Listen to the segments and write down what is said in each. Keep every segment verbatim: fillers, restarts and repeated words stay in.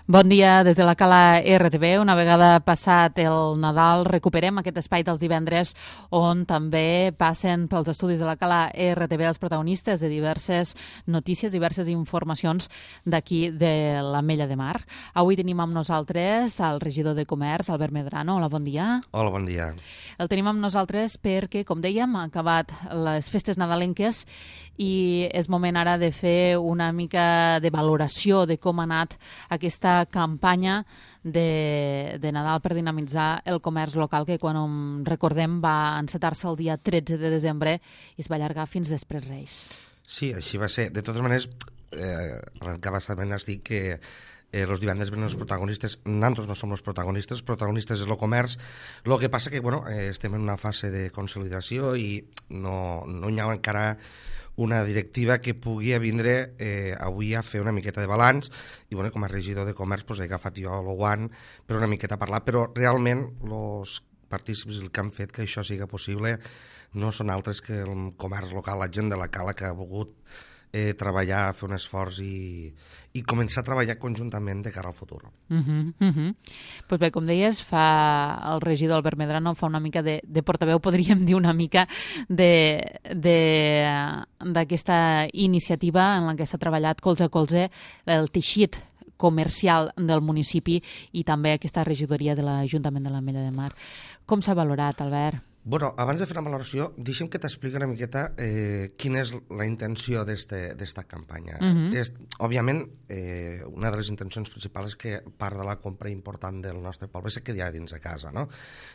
Bon dia des de la Cala R T V. Una vegada passat el Nadal recuperem aquest espai dels divendres on també passen pels estudis de la Cala R T V els protagonistes de diverses notícies, diverses informacions d'aquí de l'Ametlla de Mar. Avui tenim amb nosaltres el regidor de Comerç, Albert Medrano. Hola, bon dia. Hola, bon dia. El tenim amb nosaltres perquè, com dèiem, han acabat les festes nadalenques i és moment ara de fer una mica de valoració de com ha anat aquesta campanya de, de Nadal per dinamitzar el comerç local, que quan recordem va encetar-se el dia tretze de desembre i es va allargar fins després Reis. Sí, així va ser. De totes maneres, eh, arrencava sabent dir que Eh, los divendres ven els protagonistes, nosaltres no som els protagonistes, els protagonistes és el comerç. El que passa que bueno, eh, estem en una fase de consolidació i no, no hi ha encara una directiva que pugui vindre eh, avui a fer una miqueta de balanç i bueno, com a regidor de comerç pues, he agafat jo el guant per una miqueta a parlar, però realment els partícips que han fet que això sigui possible no són altres que el comerç local, la gent de la Cala que ha volgut Eh, treballar, fer un esforç i, i començar a treballar conjuntament de cara al futur. Uh -huh, uh -huh. Pues bé, com deies, fa el regidor Albert Medrano fa una mica de, de portaveu, podríem dir una mica d'aquesta iniciativa en la que s'ha treballat colze a colze el teixit comercial del municipi i també aquesta regidoria de l'Ajuntament de l'Ametlla de Mar. Com s'ha valorat, Albert? Bueno, abans de fer una valoració, deixa'm que t'expliqui una miqueta eh, quina és la intenció d'esta campanya. Uh-huh. és, òbviament, eh, una de les intencions principals és que part de la compra important del nostre poble se quedi dins de casa, no?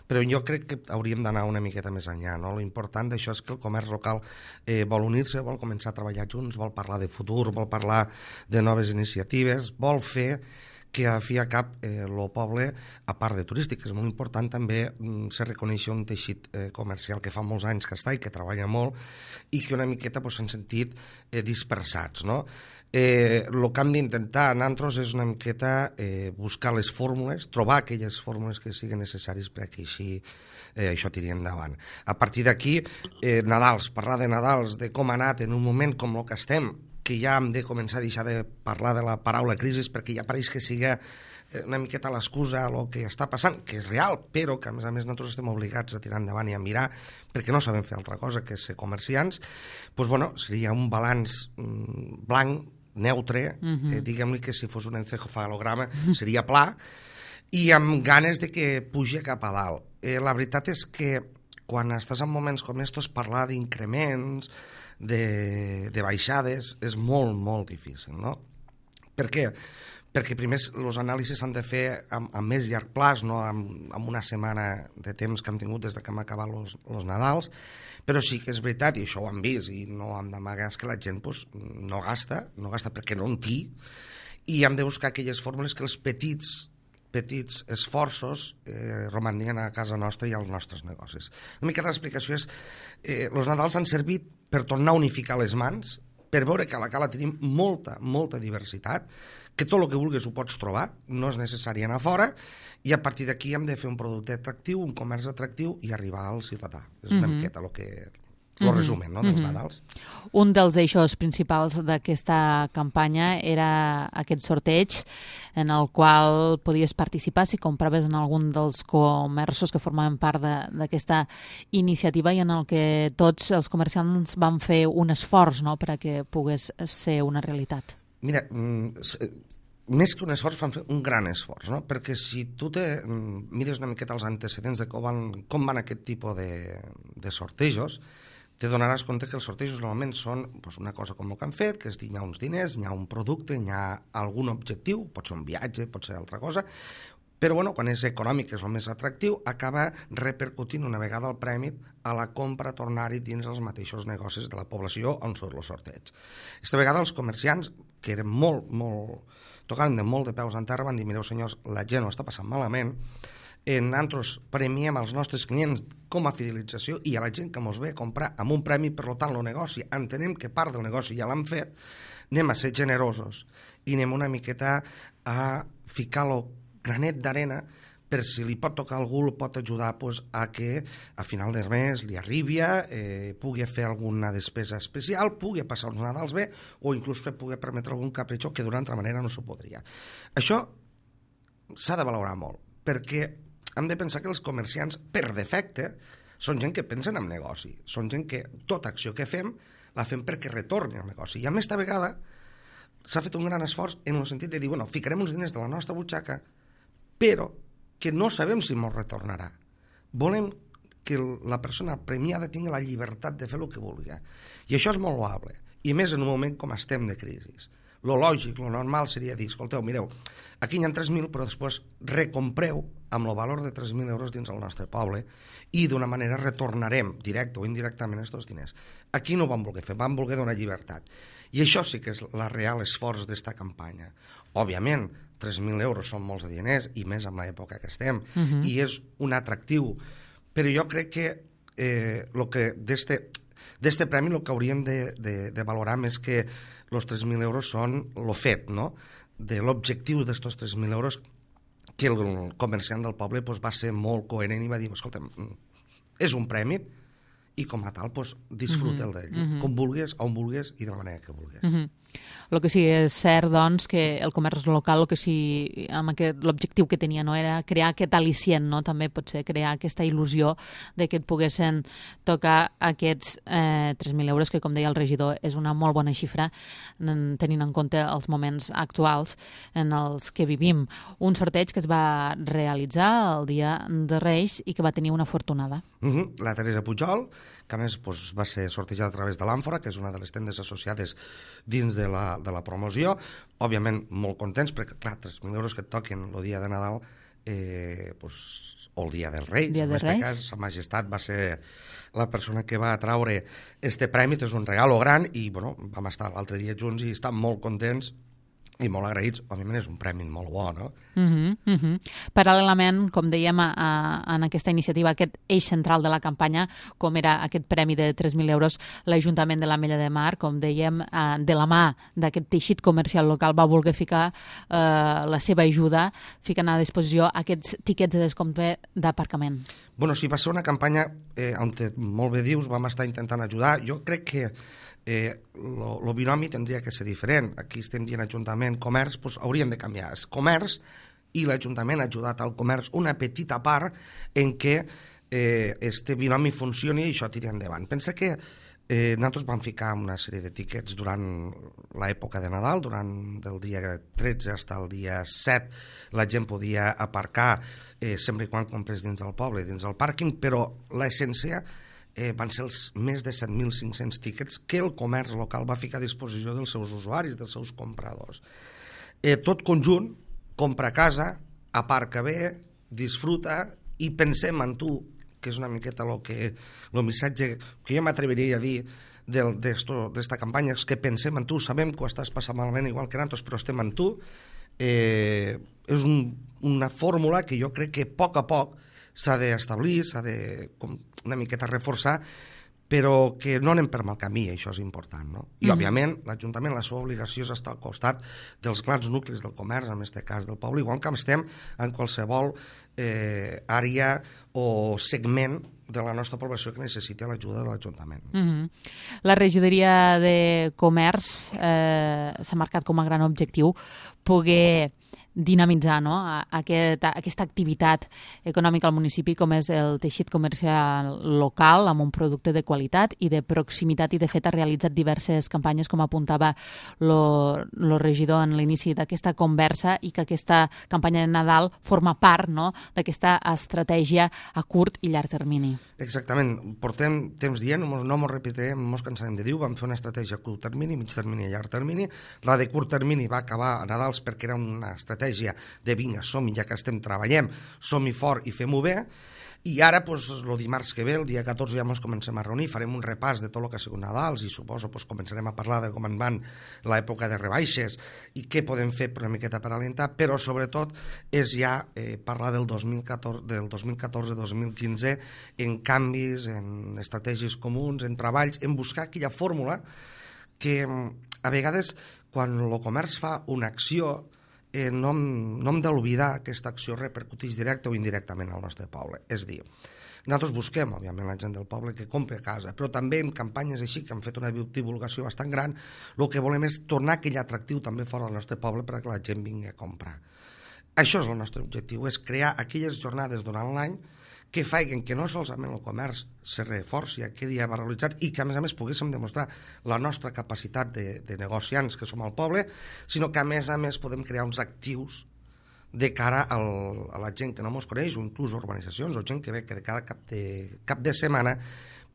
Però jo crec que hauríem d'anar una miqueta més enllà, no? L'important d'això és que el comerç local eh, vol unir-se, vol començar a treballar junts, vol parlar de futur, vol parlar de noves iniciatives, vol fer que a fi a cap el eh, poble, a part de turístic, és molt important també mm, se reconeix un teixit eh, comercial que fa molts anys que està i que treballa molt i que una miqueta pues, s'han sentit eh, dispersats, no? Eh, el que hem d'intentar nosaltres és una miqueta eh, buscar les fórmules, trobar aquelles fórmules que siguin necessàries perquè així eh, això tiri endavant. A partir d'aquí, eh, Nadals, parlar de Nadals, de com ha anat en un moment com el que estem, que ja hem de començar a deixar de parlar de la paraula crisi perquè ja pareix que sigui una miqueta l'excusa a el que està passant, que és real, però que a més a més nosaltres estem obligats a tirar endavant i a mirar perquè no sabem fer altra cosa que ser comerciants, doncs bueno, seria un balanç mm, blanc, neutre, uh-huh. eh, diguem-li que si fos un encefalograma seria pla, i amb ganes de que pugi cap a dalt. Eh, la veritat és que quan estàs en moments com estos, parlar d'increments, de, de baixades, és molt, molt difícil, no? Per què? Perquè primer els anàlisis s'han de fer amb, amb més llarg plaç, no amb, amb una setmana de temps que hem tingut des que hem acabat els Nadals, però sí que és veritat, i això ho hem vist, i no hem d'amagar, que la gent pues, no gasta, no gasta perquè no en té, i hem de buscar aquelles fórmules que els petits petits esforços eh, romanien a casa nostra i als nostres negocis. Una mica l'explicació és eh, els Nadals han servit per tornar a unificar les mans, per veure que a la Cala tenim molta, molta diversitat, que tot el que vulguis ho pots trobar, no és necessari anar fora, i a partir d'aquí hem de fer un producte atractiu, un comerç atractiu i arribar al ciutadà. És una mm-hmm. miqueta el que... el resumen, no, dels mm-hmm. Nadals. Un dels eixos principals d'aquesta campanya era aquest sorteig en el qual podies participar si compraves en algun dels comerços que formaven part d'aquesta iniciativa i en el que tots els comerciants van fer un esforç, no?, per a que pogués ser una realitat. Mira, més que un esforç, van fer un gran esforç, no? Perquè si tu te mires una miqueta els antecedents de com van, com van aquest tipus de, de sortejos, te donaràs compte que els sortejos normalment són pues, una cosa com el que han fet, que és dir, hi ha uns diners, hi ha un producte, hi ha algun objectiu, pot ser un viatge, pot ser altra cosa, però bueno, quan és econòmic, que és el més atractiu, acaba repercutint una vegada el premi a la compra, tornar-hi dins els mateixos negocis de la població on són els sorteigs. Aquesta vegada els comerciants, que eren molt, molt, tocaven de molt de peus en terra, van dir, mireu senyors, la gent ho està passant malament, nosaltres premiem als nostres clients com a fidelització i a la gent que ens ve a comprar amb un premi, per tant el negoci, entenem que part del negoci ja l'han fet, anem a ser generosos i anem una miqueta a ficar el granet d'arena per si li pot tocar a algú, el pot ajudar pues, a que a final del mes li arribi, eh, pugui fer alguna despesa especial, pugui passar uns Nadals bé o inclús pugui permetre algun capritxo que d'una altra manera no s'ho podria. Això s'ha de valorar molt, perquè hem de pensar que els comerciants, per defecte, són gent que pensen en negoci, són gent que tota acció que fem la fem perquè retorni al negoci. I a més, esta vegada s'ha fet un gran esforç en el sentit de dir, bueno, ficarem uns diners de la nostra butxaca, però que no sabem si ens retornarà. Volem que la persona premiada tingui la llibertat de fer el que vulgui. I això és molt loable, i més en un moment com estem de crisi. Lo lògic, lo normal seria dir, escolteu, mireu, aquí hi ha tres mil, però després recompreu amb el valor de tres mil euros dins el nostre poble i d'una manera retornarem, directe o indirectament, aquests diners. Aquí no ho vam voler fer, vam voler donar llibertat. I això sí que és la real esforç d'esta campanya. Òbviament, tres mil euros són molts de diners, i més en l'època que estem, uh-huh. i és un atractiu. Però jo crec que eh, lo que d'este d'este premi el que hauríem de, de, de valorar més que els tres mil euros són el fet, no?, de l'objectiu d'estos tres mil euros, que el comerciant del poble pues, va ser molt coherent i va dir, escolta, és un premi i com a tal pues, disfruta'l d'ell, mm-hmm. com vulguis, on vulguis i de la manera que vulguis. Mm-hmm. El que sí és cert, doncs, que el comerç local, el que sí, amb aquest, l'objectiu que tenia, no, era crear aquest al·licient, no? També potser crear aquesta il·lusió de que et poguessin tocar aquests eh, tres mil euros, que, com deia el regidor, és una molt bona xifra, tenint en compte els moments actuals en els que vivim. Un sorteig que es va realitzar el dia de Reis i que va tenir una afortunada. Uh-huh. La Teresa Pujol, que a més pues, va ser sortejada a través de l'Àmfora, que és una de les tendes associades dins de la, de la promoció, òbviament molt contents, perquè clar, tres mil euros que et toquen el dia de Nadal eh, pues, o el dia dels Reis, dia en aquest cas, Sa Majestat va ser la persona que va atraure este premi, és un regalo gran, i bueno, vam estar l'altre dia junts i estem molt contents i molt agraïts. Òbviament és un premi molt bo, no? Uh-huh, uh-huh. Paral·lelament, com dèiem, a, a, en aquesta iniciativa, aquest eix central de la campanya, com era aquest premi de tres mil euros, l'Ajuntament de l'Ametlla de Mar, com dèiem, eh, de la mà d'aquest teixit comercial local, va voler ficar eh, la seva ajuda, ficant a disposició aquests tiquets de descompte d'aparcament. Bueno, sí, va ser una campanya eh, on, molt bé dius, vam estar intentant ajudar. Jo crec que el eh, binomi tindria que ser diferent. Aquí estem dient Ajuntament, comerç, doncs hauríem de canviar. És comerç i l'Ajuntament ha ajudat al comerç una petita part en què eh, este binomi funcioni i això tiri endavant. Pensa que eh, nosaltres vam ficar una sèrie de tiquets durant l'època de Nadal, durant del dia tretze fins al dia set, la gent podia aparcar eh, sempre i quan comprés dins del poble, dins del pàrquing, però l'essència Eh, van ser els més de set mil cinc-cents tiquets que el comerç local va ficar a disposició dels seus usuaris, dels seus compradors. Eh, tot conjunt, compra a casa, aparca bé, disfruta i pensem en tu, que és una miqueta lo que, el missatge que jo m'atreviria a dir d'esta campanya, és que pensem en tu, sabem que ho estàs passant malament igual que nosaltres, però estem en tu. Eh, és un, una fórmula que jo crec que a poc a poc s'ha d'establir, s'ha de com, una miqueta reforçar, però que no anem per mal camí, això és important, no? I, mm-hmm. òbviament, l'Ajuntament, la seva obligació és estar al costat dels grans nuclis del comerç, en aquest cas del poble, igual que estem en qualsevol eh, àrea o segment de la nostra població que necessita l'ajuda de l'Ajuntament. Mm-hmm. La regidoria de Comerç eh, s'ha marcat com a gran objectiu poder dinamitzar, no?, Aquest, aquesta activitat econòmica al municipi com és el teixit comercial local amb un producte de qualitat i de proximitat, i de fet ha realitzat diverses campanyes, com apuntava el regidor en l'inici d'aquesta conversa, i que aquesta campanya de Nadal forma part, no?, d'aquesta estratègia a curt i llarg termini. Exactament, portem temps dient, no ens repetirem, no ens cansarem de dir, vam fer una estratègia a curt termini, mig termini i llarg termini. La de curt termini va acabar a Nadals perquè era una estratègia de vinga, som-hi, ja que estem treballant, som-hi fort i fem-ho bé. I ara, doncs, el dimarts que ve, el dia catorze, ja ens comencem a reunir, farem un repàs de tot el que ha sigut Nadals i suposo doncs, començarem a parlar de com en van l'època de rebaixes i què podem fer per una miqueta per alentar, però sobretot és ja eh, parlar del dos mil catorze dos mil quinze en canvis, en estratègies comuns, en treballs, en buscar aquella fórmula que a vegades quan el comerç fa una acció Eh, no, hem, no hem d'oblidar que aquesta acció repercuteix directe o indirectament al nostre poble. És dir, nosaltres busquem, òbviament, la gent del poble que compri a casa, però també en campanyes així, que han fet una divulgació bastant gran, el que volem és tornar aquell atractiu també fora del nostre poble perquè la gent vingui a comprar. Això és el nostre objectiu, és crear aquelles jornades durant l'any que facin que no solament el comerç se reforci, quedi valoritzat i que, a més a més, poguéssim demostrar la nostra capacitat de, de negociants que som al poble, sinó que, a més a més, podem crear uns actius de cara al, a la gent que no ens coneix, o inclús urbanitzacions, o gent que ve que de cada cap de, cap de setmana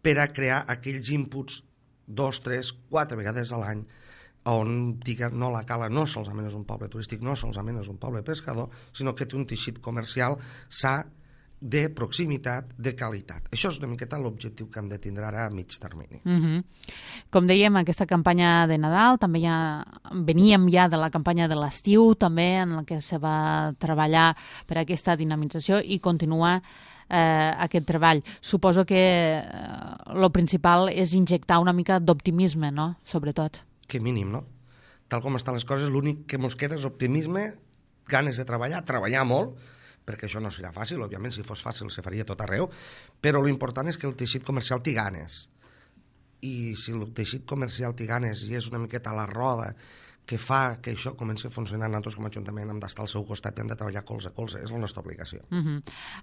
per a crear aquells inputs dos, tres, quatre vegades a l'any on diga no la Cala no solament és un poble turístic, no solament és un poble pescador, sinó que té un teixit comercial sa, de proximitat, de qualitat. Això és una miqueta l'objectiu que hem de tindre ara a mig termini. Uh-huh. Com dèiem, aquesta campanya de Nadal, també ja veníem ja de la campanya de l'estiu, també en la que se va treballar per aquesta dinamització i continua eh, aquest treball. Suposo que el eh, principal és injectar una mica d'optimisme, no?, sobretot. Que mínim, no? Tal com estan les coses, l'únic que ens queda és optimisme, ganes de treballar, treballar molt, perquè això no serà fàcil, òbviament, si fos fàcil se faria tot arreu, però l'important és que el teixit comercial té ganes. I si el teixit comercial té ganes i és una miqueta la roda que fa que això comenci a funcionar, nosaltres com a Ajuntament hem d'estar al seu costat i hem de treballar colze a colze, és la nostra obligació. Uh-huh.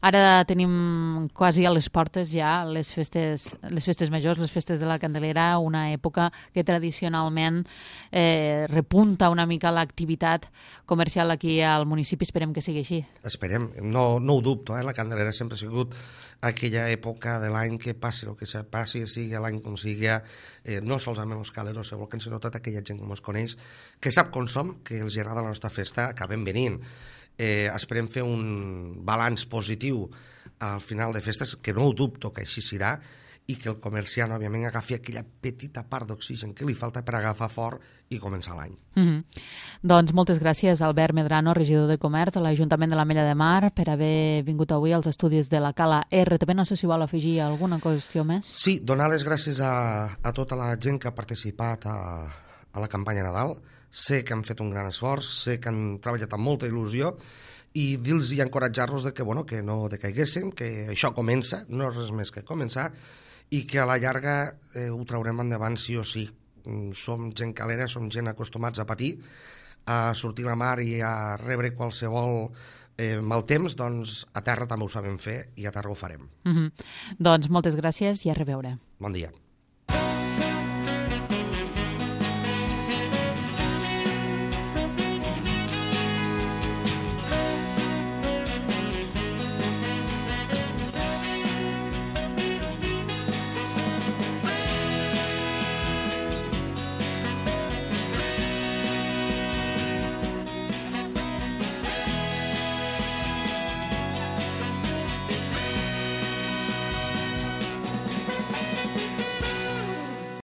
Ara tenim quasi a les portes ja les festes, les festes majors, les festes de la Candelera, una època que tradicionalment eh, repunta una mica l'activitat comercial aquí al municipi, esperem que sigui així. Esperem, no, no ho dubto, eh? La Candelera sempre ha sigut aquella època de l'any que passi el que se passi, sigui l'any com sigui, eh, no solament els caleros se volquen, sinó tota aquella gent que ens coneix, que sap com som, que els agrada la nostra festa, acabem venint. Eh, esperem fer un balanç positiu al final de festes, que no ho dubto que així serà, i que el comerciant, òbviament, agafi aquella petita part d'oxigen que li falta per agafar fort i començar l'any. Mm-hmm. Doncs moltes gràcies, Albert Medrano, regidor de Comerç a l'Ajuntament de l'Ametlla de Mar, per haver vingut avui als estudis de la Cala R T B. No sé si vol afegir alguna qüestió més. Sí, donar les gràcies a, a tota la gent que ha participat a, a la campanya Nadal. Sé que han fet un gran esforç, sé que han treballat amb molta il·lusió i dir-los i encoratjar-los de que, bueno, que no decaiguéssim, que això comença, no és res més que començar, i que a la llarga eh, ho traurem endavant sí o sí. Som gent calera, som gent acostumats a patir, a sortir a la mar i a rebre qualsevol eh, mal temps, doncs a terra també ho sabem fer i a terra ho farem. Mm-hmm. Doncs moltes gràcies i a reveure. Bon dia.